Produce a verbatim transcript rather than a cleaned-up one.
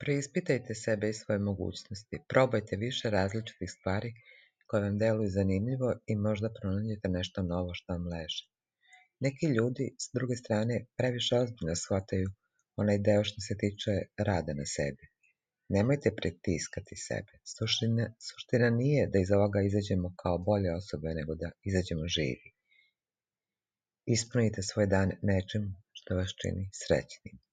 Preispitajte sebe i svoje mogućnosti. Probajte više različitih stvari koje vam deluju zanimljivo i možda pronađete nešto novo što vam leži. Neki ljudi, s druge strane, previše ozbiljno shvataju onaj deo što se tiče rada na sebi. Nemojte pritiskati sebe. Suština, suština nije da iz ovoga izađemo kao bolje osobe, nego da izađemo živi. Ispunite svoj dan nečim što vas čini srećnim.